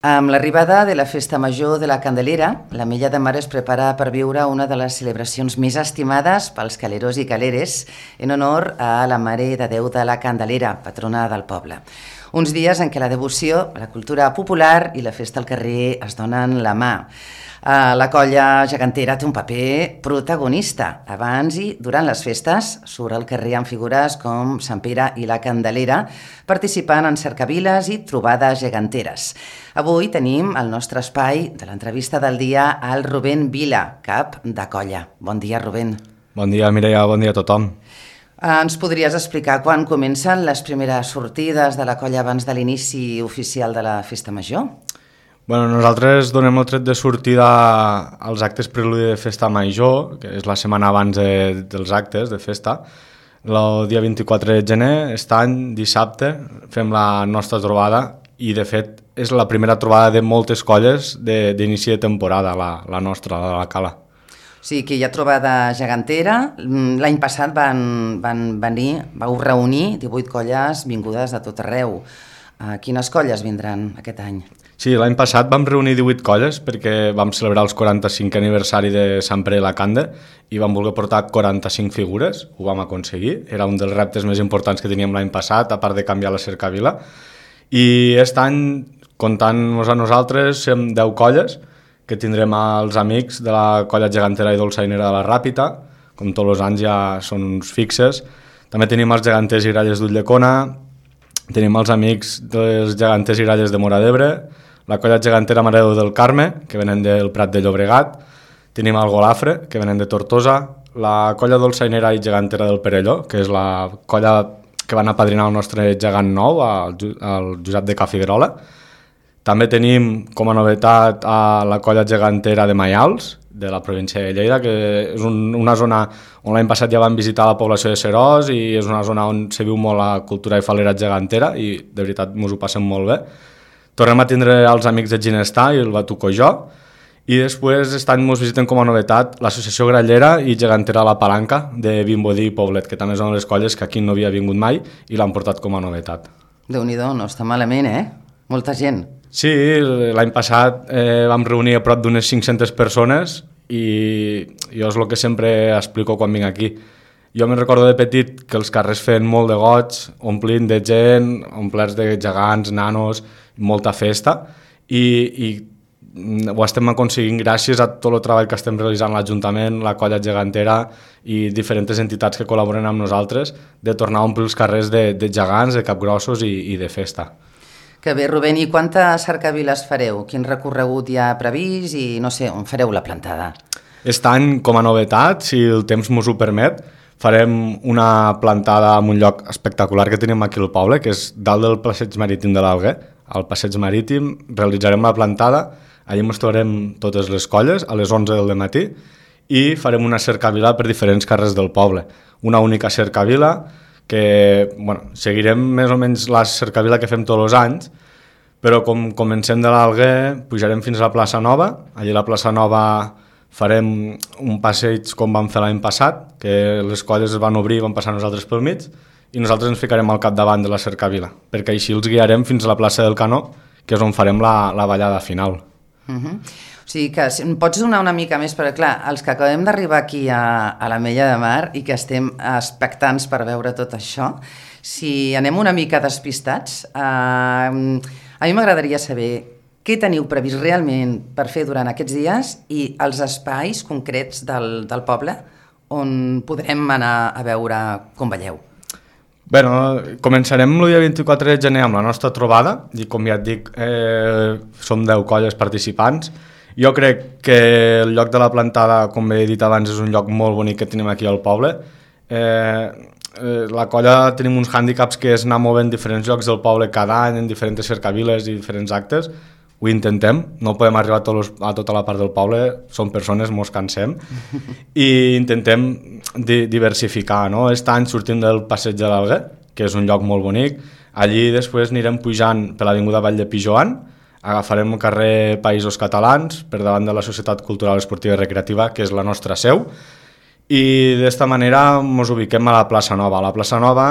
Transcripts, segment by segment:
Amb l'arribada de la Festa Major de la Candelera, l'Ametlla de Mar es prepara per viure una de les celebracions més estimades pels caleros i caleres en honor a la Mare de Déu de la Candelera, patrona del poble. Uns dies en què la devoció, la cultura popular i la festa al carrer es donen la mà. La colla gegantera té un paper protagonista. Abans i durant les festes surt al carrer amb figures com Sant Pere i la Candelera, participant en cercaviles i trobades geganteres. Avui tenim al nostre espai de l'entrevista del dia al Rubén Vila, cap de colla. Bon dia, Rubén. Bon dia, Mireia, bon dia a tothom. Ens podries explicar quan comencen les primeres sortides de la colla abans de l'inici oficial de la Festa Major? Nosaltres donem el tret de sortida als actes preludi de Festa Major, que és la setmana abans dels actes de festa. El dia 24 de gener, aquest any, dissabte, fem la nostra trobada i, de fet, és la primera trobada de moltes colles d'inici de temporada, la nostra, la de la Cala. O sigui que hi ha trobada gegantera. L'any passat vau reunir 18 colles vingudes de tot arreu. Quines colles vindran aquest any? Sí, l'any passat vam reunir 18 colles perquè vam celebrar el 45 aniversari de Sant Pere i la Cande i vam voler portar 45 figures, ho vam aconseguir, era un dels reptes més importants que teníem l'any passat, a part de canviar la cercavila. I aquest any, comptant-nos a nosaltres, som 10 colles, que tindrem els amics de la colla gegantera i dolçainera de la Ràpita, com tots els anys ja són uns fixes. També tenim els geganters i gralles d'Ulldecona, tenim els amics dels geganters i gralles de Móra d'Ebre, la colla gegantera Mare de Déu del Carme, que venen del Prat de Llobregat, tenim el Golafre, que venen de Tortosa, la colla dolçainera i gegantera del Perelló, que és la colla que van apadrinar el nostre gegant nou, el Josep de Cafiguerola. També tenim com a novetat a la colla gegantera de Maials, de la província de Lleida, que és una zona on l'any passat ja vam visitar la població de Serós i és una zona on se viu molt la cultura i falera gegantera i de veritat ens ho passem molt bé. Tornem a tindre els amics de Ginestar i el Batuco Jo i després aquest any ens visiten com a novetat l'associació grallera i gegantera La Palanca de Vimbodí i Poblet, que també són les colles que aquí no havia vingut mai i l'han portat com a novetat. Déu-n'hi-do, no està malament, Molta gent. Sí, l'any passat vam reunir a prop d'unes 500 persones i jo és el que sempre explico quan vinc aquí. Jo me'n recordo de petit que els carrers feien molt de goig, omplint de gent, omplerts de gegants, nanos, molta festa i ho estem aconseguint gràcies a tot el treball que estem realitzant l'Ajuntament, la colla gegantera i diferents entitats que col·laboren amb nosaltres de tornar a omplir els carrers de gegants, de capgrossos i de festa. Que bé, Rubén, i quantes cercaviles fareu? Quin recorregut hi ha previst i, no sé, on fareu la plantada? Aquest any, com a novetat, si el temps ens ho permet, farem una plantada en un lloc espectacular que tenim aquí al poble, que és dalt del passeig marítim de l'Alguer. Al passeig marítim realitzarem la plantada, allà ens trobarem totes les colles a les 11 del matí i farem una cercavila per diferents carrers del poble. Una única cercavila que seguirem més o menys la cercavila que fem tots els anys, però com comencem de l'Alguer pujarem fins a la plaça Nova, allà a la plaça Nova farem un passeig com vam fer l'any passat, que les colles es van obrir i van passar nosaltres pel mig, i nosaltres ens ficarem al capdavant de la cercavila, perquè així els guiarem fins a la plaça del Canó, que és on farem la ballada final. O sigui que em pots donar una mica més, perquè clar, els que acabem d'arribar aquí a l'Ametlla de Mar i que estem expectants per veure tot això, si anem una mica despistats, a mi m'agradaria saber què teniu previst realment per fer durant aquests dies i els espais concrets del poble on podrem anar a veure com balleu. Començarem el dia 24 de gener amb la nostra trobada i com ja et dic, som 10 colles participants. Jo crec que el lloc de la plantada, com he dit abans, és un lloc molt bonic que tenim aquí al poble. La colla tenim uns hàndicaps que és anar movent diferents llocs del poble cada any en diferents cercaviles i diferents actes. Ho intentem, no podem arribar a tota la part del poble, som persones, mos cansem, i intentem diversificar, no? Aquest any sortim del passeig de l'Alguer, que és un lloc molt bonic, allí després anirem pujant per l'avinguda Vall de Pijoan, agafarem el carrer Països Catalans, per davant de la Societat Cultural Esportiva i Recreativa, que és la nostra seu, i d'esta manera ens ubiquem a la plaça Nova. A la plaça Nova,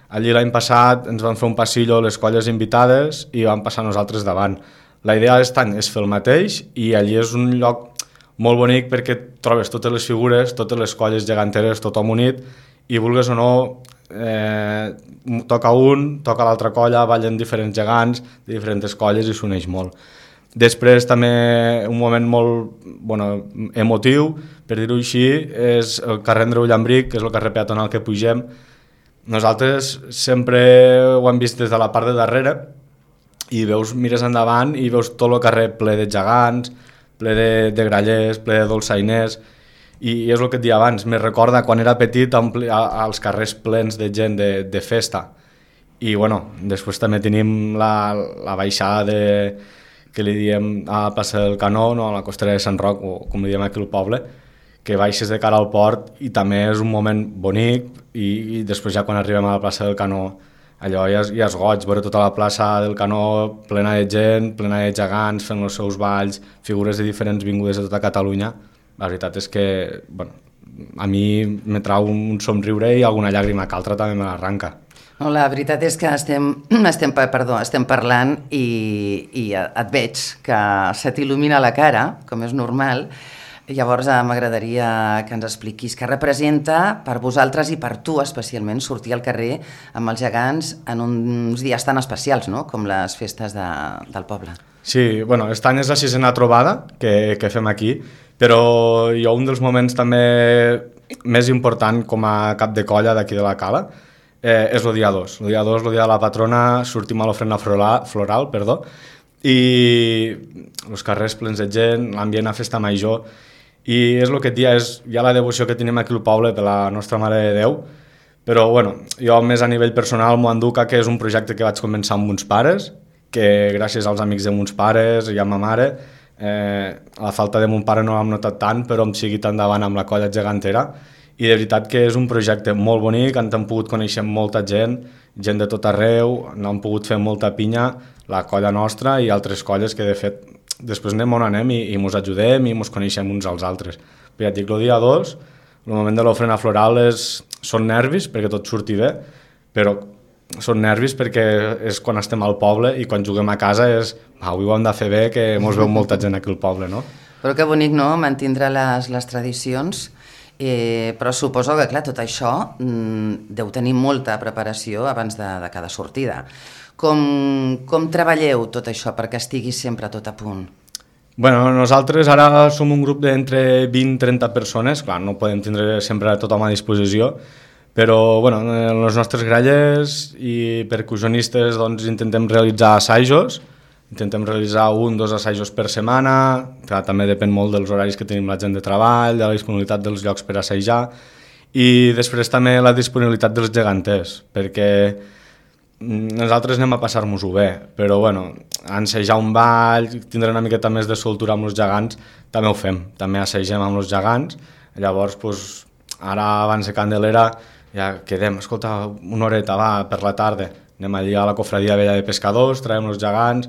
allí l'any passat ens van fer un passillo les colles invitades i vam passar nosaltres davant. La idea d'aquest any és fer el mateix i allí és un lloc molt bonic perquè trobes totes les figures, totes les colles geganteres, tothom unit, i vulgues o no, toca un, toca l'altra colla, ballen diferents gegants de diferents colles i s'uneix molt. Després també un moment molt emotiu, per dir-ho així, és el carrer Andreu Llambric, que és el carrer peatonal que pugem. Nosaltres sempre ho hem vist des de la part de darrere i mires endavant i veus tot el carrer ple de gegants, ple de grallers, ple de dolçainers, i és el que et deia abans, me recorda quan era petit als carrers plens de gent de festa. I després també tenim la baixada que li diem a Plaça del Canó, no? A la costera de Sant Roc, o com li diem aquí al poble, que baixes de cara al port i també és un moment bonic, i després ja quan arribem a la plaça del Canó allò ja és goig, veure tota la plaça del Canó plena de gent, plena de gegants fent els seus balls, figures de diferents vingudes de tota Catalunya. La veritat és que a mi me trau un somriure i alguna llàgrima que altra també me l'arranca. No, la veritat és que estem parlant i et veig que se t'il·lumina la cara, com és normal. Llavors m'agradaria que ens expliquis què representa per vosaltres i per tu especialment sortir al carrer amb els gegants en uns dies tan especials, no? Com les festes del poble. Sí, aquest any és la 6ª trobada que fem aquí, però jo un dels moments també més important com a cap de colla d'aquí de la Cala és el dia 2. El dia 2, el dia de la patrona, sortim a l'ofrena floral, i els carrers plens de gent, l'ambient a festa major. I és el que et dia, és ja la devoció que tenim aquí al poble per la nostra Mare de Déu, però jo més a nivell personal m'ho enduc que és un projecte que vaig començar amb uns pares, que gràcies als amics de mons pares i a ma mare, la falta de mon pare no l'hem notat tant, però hem seguit endavant amb la colla gegantera, i de veritat que és un projecte molt bonic, ens hem pogut conèixer molta gent de tot arreu, n'hem pogut fer molta pinya, la colla nostra i altres colles que de fet després anem on anem i mos ajudem i mos coneixem uns als altres. Però ja et dic, el dia 2, el moment de l'ofrena floral són nervis perquè tot surti bé, però són nervis perquè és quan estem al poble i quan juguem a casa és avui ho hem de fer bé, que mos veu molta gent aquí al poble, no? Però que bonic, no?, mantindre les tradicions, però suposo que, clar, tot això deu tenir molta preparació abans de cada sortida. Com treballeu tot això perquè estigui sempre tot a punt? Nosaltres ara som un grup d'entre 20 i 30 persones, clar, no podem tindre sempre tothom a disposició, però els nostres grallers i percussionistes intentem realitzar assajos, intentem realitzar 1 o 2 assajos per setmana, clar, també depèn molt dels horaris que tenim la gent de treball, de la disponibilitat dels llocs per assajar, i després també la disponibilitat dels geganters, perquè nosaltres anem a passar-nos-ho bé, però ensejar un ball, tindre una miqueta més de soltura amb els gegants, també ho fem, també assagem amb els gegants. Llavors, ara abans de Candelera ja quedem, escolta, una horeta, va, per la tarda, anem allà a la cofradia vella de pescadors, traiem els gegants,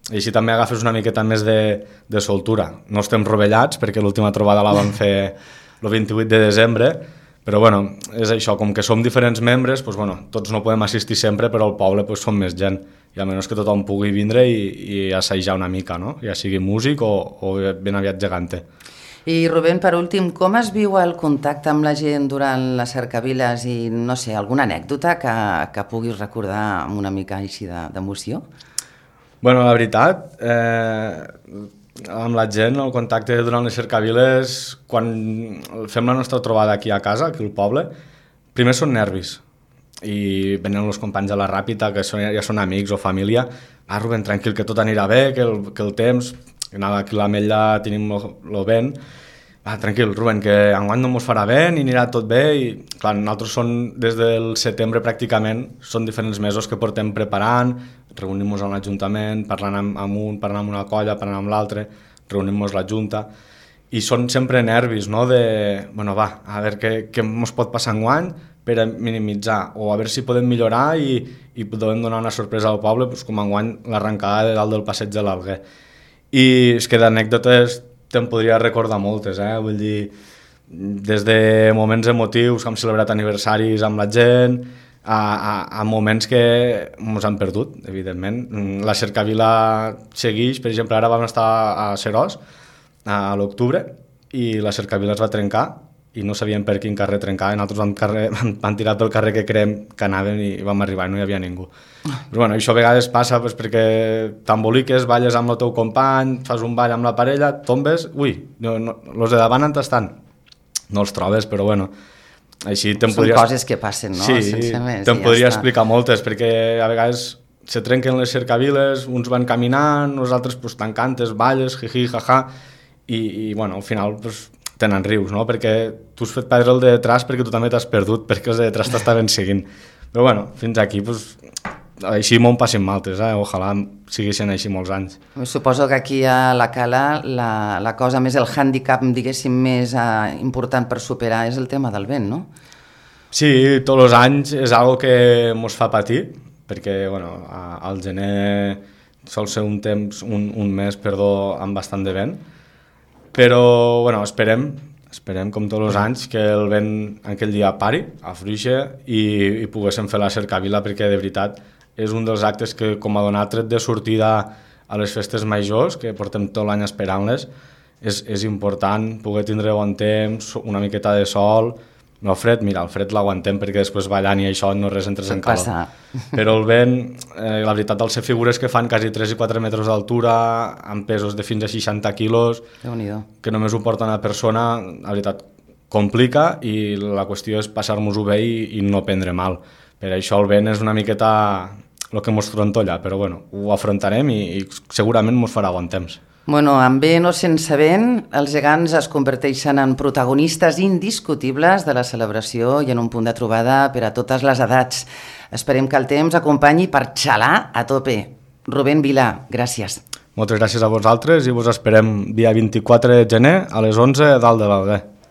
i així també agafes una miqueta més de soltura. No estem rovellats, perquè l'última trobada la vam fer el 28 de desembre, però és això, com que som diferents membres, tots no podem assistir sempre, però al poble som més gent, i almenys que tothom pugui vindre i assajar una mica, no? Ja sigui músic o ben aviat gegante. I Rubén, per últim, com es viu el contacte amb la gent durant les cercaviles i, no sé, alguna anècdota que puguis recordar amb una mica així d'emoció? La veritat, amb la gent, el contacte durant les cercaviles, quan fem la nostra trobada aquí a casa, aquí al poble, primer són nervis, i venen els companys de la Ràpita, que ja són amics o família, Rubén, tranquil, que tot anirà bé, que el temps, que aquí a l'Ametlla tenim el vent, tranquil, Rubén, que enguany no mos farà vent i anirà tot bé, i clar, nosaltres des del setembre pràcticament, són diferents mesos que portem preparant, reunim-nos a l'Ajuntament, parlant amb un, parlant amb una colla, parlant amb l'altre, reunim-nos la Junta, i són sempre nervis, no?, a veure què ens pot passar enguany per a minimitzar, o a veure si podem millorar i podem donar una sorpresa al poble, com enguany l'arrencada de dalt del passeig de l'Alguer. I és que d'anècdotes te'n podria recordar moltes, vull dir, des de moments emotius que hem celebrat aniversaris amb la gent, a moments que ens han perdut, evidentment. La cercavila segueix, per exemple, ara vam estar a Seròs a l'octubre i la cercavila es va trencar i no sabíem per quin carrer trencar, i nosaltres vam tirar pel carrer que creiem que anaven i vam arribar i no hi havia ningú. Però bueno, això a vegades passa perquè t'emboliques, balles amb el teu company, fas un ball amb la parella, tombes, els de davant on estan? No els trobes, però bueno, així Són coses que passen, no? Sí, sense més. Te'n podria explicar moltes, perquè a vegades se trenquen les cercaviles, uns van caminant, nosaltres pues, t'encantes, balles, jiji, jaja, i bueno, al final pues, tenen rius, no? Perquè tu has fet perdre el de detrás perquè tu també t'has perdut, perquè els de detrás t'estaven seguint. Però bueno, fins aquí, pues, així m'ho passin maltes, ojalà siguessin així molts anys. Suposo que aquí a la Cala la cosa més, el hàndicap, diguéssim, més important per superar és el tema del vent, no? Sí, tots els anys és algo que mos fa patir, perquè bueno, al gener sol ser un temps, un mes, amb bastant de vent, però bueno, esperem com tots els anys que el vent aquell dia pari, afluixe i poguéssim fer la cercavila, perquè de veritat és un dels actes que com a donar tret de sortida a les festes majors, que portem tot l'any esperant-les, és important poder tindre bon temps, una miqueta de sol. No, el fred l'aguantem perquè després ballant i això no res entres en calor. Però el vent, la veritat, al ser figures que fan quasi 3 i 4 metres d'altura, amb pesos de fins a 60 quilos, que només ho porta una persona, la veritat, complica, i la qüestió és passar-nos-ho bé i no prendre mal. Per això el vent és una miqueta el que mos trontolla, però bueno, ho afrontarem i segurament mos farà bon temps. Bueno, amb vent o sense vent, els gegants es converteixen en protagonistes indiscutibles de la celebració i en un punt de trobada per a totes les edats. Esperem que el temps acompanyi per xalar a tope. Rubén Vilà, gràcies. Moltes gràcies a vosaltres i vos esperem dia 24 de gener a les 11 dalt de l'Alguer.